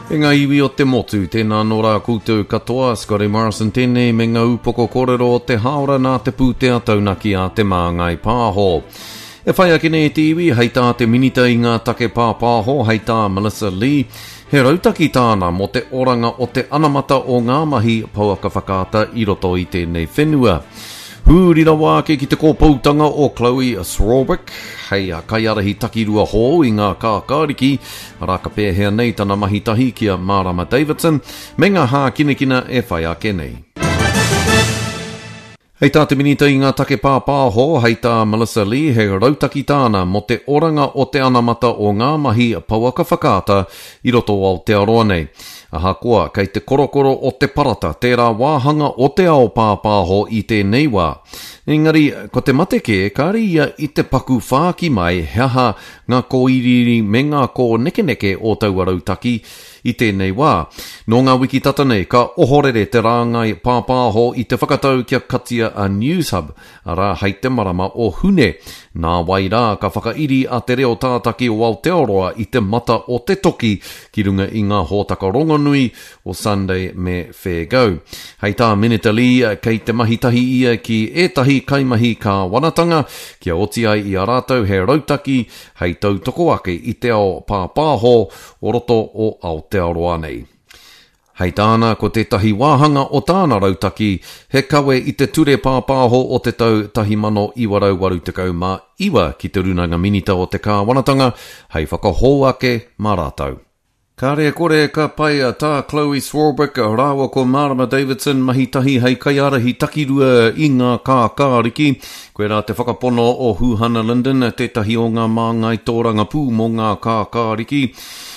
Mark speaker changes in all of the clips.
Speaker 1: E ngā iwi o te motu, tēnā anō rā koutou katoa, Scotty Morrison tēnei me ngā upoko kōrero o te hāora nā te pūtea taunaki a Te Māngai Pāho. E whai ake nei te iwi, hei tā te Minita i ngā take pāpāho, hei tā Melissa Lee, he rautaki tāna mō te oranga o te anamata o ngā mahi pouaka whakaata i roto i tēnei whenua. Huri rawa ake ki te kōpoutanga o Chloe Swarbrick hei kaiārahi takirua hou i ngā kākāriki, arā ka pēhea nei tana mahi tahi ki a Marama Davidson me ngā hākinakina e whai ake nei. Hei tā te Minita i ngā take pāpāho, hei tā Melissa Lee, he rautaki tāna mō te oranga o te anamata o ngā mahi pouaka whakaata i roto o Aotearoa nei. Ahakoa, kei te korokoro o te parata tērā wāhanga o te ao pāpāho i tēnei wā. Engari, ko te mate kē, kāre ia i te paku whāki mai he aha ngā kōiriiri me ngā kōnekeneke o taua rautaki i tēnei wā. Nō ngā wiki tata nei, ka ohorere te rāngai pāpāho i te whakatau kia katia a Newshub, arā, hei te marama o Hune. Nāwai rā, ka whakairi a Te Reo Tātaki o Aotearoa i te mata o te toki ki runga i ngā hōtaka rongonui o Sunday me Fair Go. Hei tā Minita Lee, kei te mahi tahi ia ki ētahi kaimahi kāwanatanga kia oti ai i a rātou he rautaki hei tautoko ake i te ao pāpāho o roto o Aotearoa nei. Hei tāna, ko tētahi wāhanga o tāna rautaki he kawe i te Ture Pāpāho o te tau 1989 ki te Rūnanga Minita o te Kāwanatanga hei whakahou ake mā rātou. Kāre e kore ka pai tā Chloe Swarbrick rāua ko Marama Davidson mahi tahi hei kaiārahi takirua i ngā kākāriki. Koirā te whakapono o Huhana Lyndon, tētahi o ngā māngai tōrangapū mō ngā kākāriki.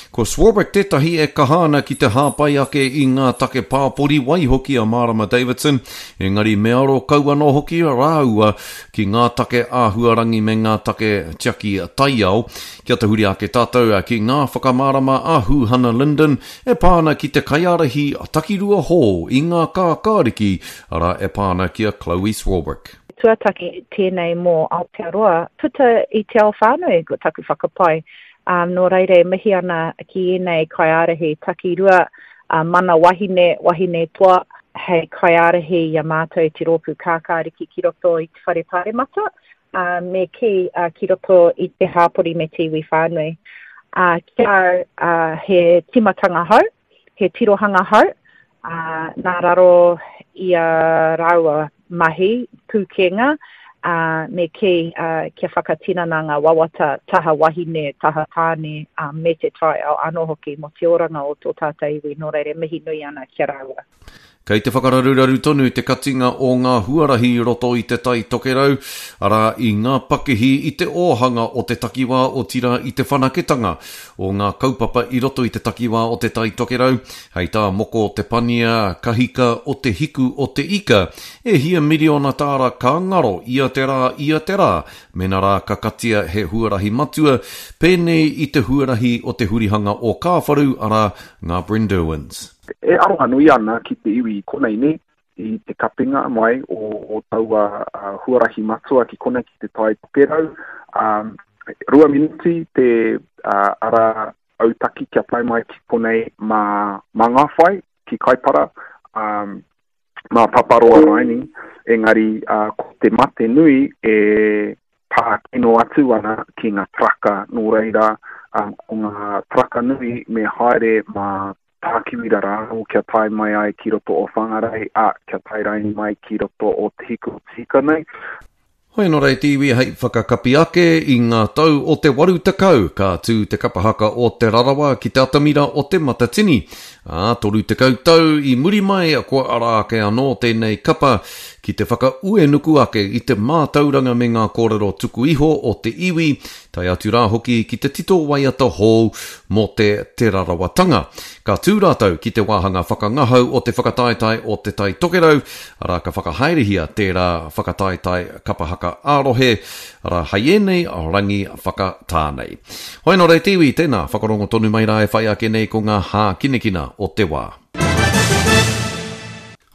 Speaker 1: Ko Swarbrick tētahi e kaha ana ki te hāpai ake i ngā take pāpori waihoki a Marama Davidson, engari me aro kau anō hoki rāua ki ngā take āhuarangi me ngā take tiaki taiao. Kia tahuri ake tātou ki ngā whakamārama a Huhana Lyndon e pā ana ki te kaiārahi takirua hou i ngā kākāriki, arā e pā ana ki a Chloe Swarbrick.
Speaker 2: Tuataki tēnei mō Aotearoa, puta i te ao whānui, ko taku whakapae. Ā, nō reira e mihi ana ki ēnei kaiārahi takirua, ā, mana wahine, wahine toa, hei kaiārahi i a mātou i te Rōpū Kākāriki ki roto i te Whare Pāremata, ā, me kī, ā, ki roto i te hāpori me te iwi whānui. Ā, ki a au, ā, he tīmatanga hou, he tirohanga hou, ā, nā raro i a rāua mahi, pūkenga, ā, me kī, ā, kia whakatinana ngā wawata taha wahine, taha tāne, ā, me te taiao anō hoki mō te oranga o tō tātou iwi, nō reira e mihi nui ana ki a rāua.
Speaker 1: Kei te whakararuraru tonu te katinga o ngā huarahi i roto i Te Tai Tokerau, arā, i ngā pakihi, i te ōhanga o te takiwā, otirā i te whanaketanga o ngā kaupapa i roto i te takiwā o Te Tai Tokerau. Hei tā Moko Te Pania Kahika o Te Hiku o Te Ika, e hia miriona tāra ka ngaro ia te rā, ia te rā, mena rā ka katia he huarahi matua, pēnei i te huarahi o te hurihanga o Kāwharu, arā, ngā Brynderwyns.
Speaker 3: E aroha nui ana ki te iwi i konei nei, i te kapinga mai o taua huarahi matua ki konei ki te Tai Tokerau. 2 miniti te ara autaki kia tae mai ki konei mā Ngāwhai, ki Kaipara, mā Paparoa raini, engari ko te mate nui e pā kino atu ana ki ngā taraka, nō reira, ko ngā taraka nui me haere mā Tākiwira rānō kia tae mai ai ki roto o Whangarei, ā, kia tae raini mai ki roto o Te Hiku o Te Hika nei.
Speaker 1: Hoi anō rā e te iwi hei whakakapi ake i ngā tau o te 80 ka tū te kapa haka o Te Rarawa ki te atamira o Te Matatini. Ā, 30 tau i muri mai kua ara ake anō tēnei kapa ki te whakauenuku ake i te mātauranga me ngā kōrero tuku iho o te iwi, tae atu rā hoki ki te tito waiata hou mō te Te Rarawatanga. Ka tū rātou ki te wāhanga whakangahau o te whakataetae o Te Tai Tokerau, arā ka whakahaerehia tērā whakataetae kapa haka ā-rohe, arā hei ēnei rangi whakatā nei. Hoi anō rā e te iwi, tēnā, whakarongo tonu mai rā e whai ake nei ko ngā hākinakina o te wā.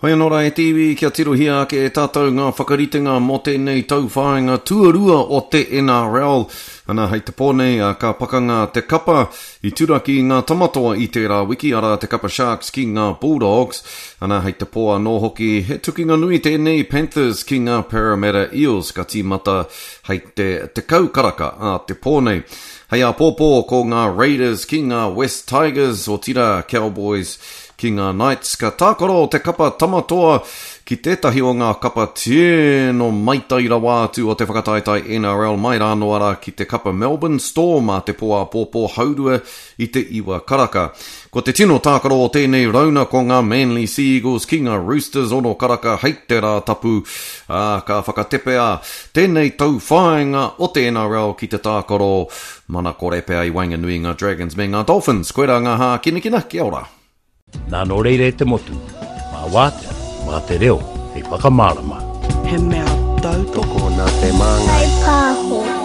Speaker 1: Hoi anō rā e te iwi, kia tirohia ake e tātou ngā whakaritenga mō tēnei tauwhāinga tuarua o te NRL. Ana, hei te pō nei, ka pakanga te kapa i turaki i ngā tamatoa i tērā wiki, arā te kapa Sharks ki ngā Bulldogs. Ana, hei te pō anō hoki, he tukinga nui tēnei Panthers ki ngā Parramatta Eels, ka tīmata hei te 10 karaka ā te pō nei. Hei āpōpō ko ngā Raiders ki ngā West Tigers, otirā Cowboys Ki ngā Knights, ka tākaro te kapa Tamatoa ki tētahi o ngā kapa tino maitai rawa atu o te whakataetae NRL mai rānō arā ki te kapa Melbourne Storm ā te pō āpōpō haurua i te iwa karaka. Ko te tino tākaro o tēnei rauna ko ngā Manly Sea Eagles ki ngā Roosters ono karaka hei te Rātapu, ā, ka whakatepea tēnei tauwhāinga o te NRL ki te tākaro Mana kore pea i waenganui i ngā Dragons me ngā Dolphins. Koirā ngā hākinakina, kia ora.
Speaker 4: Nā nō reira e te motu, mā wātea, mā te reo hei whakamārama.
Speaker 5: He mea tautoko.
Speaker 6: Tokona te māngai.
Speaker 7: Whai pāho.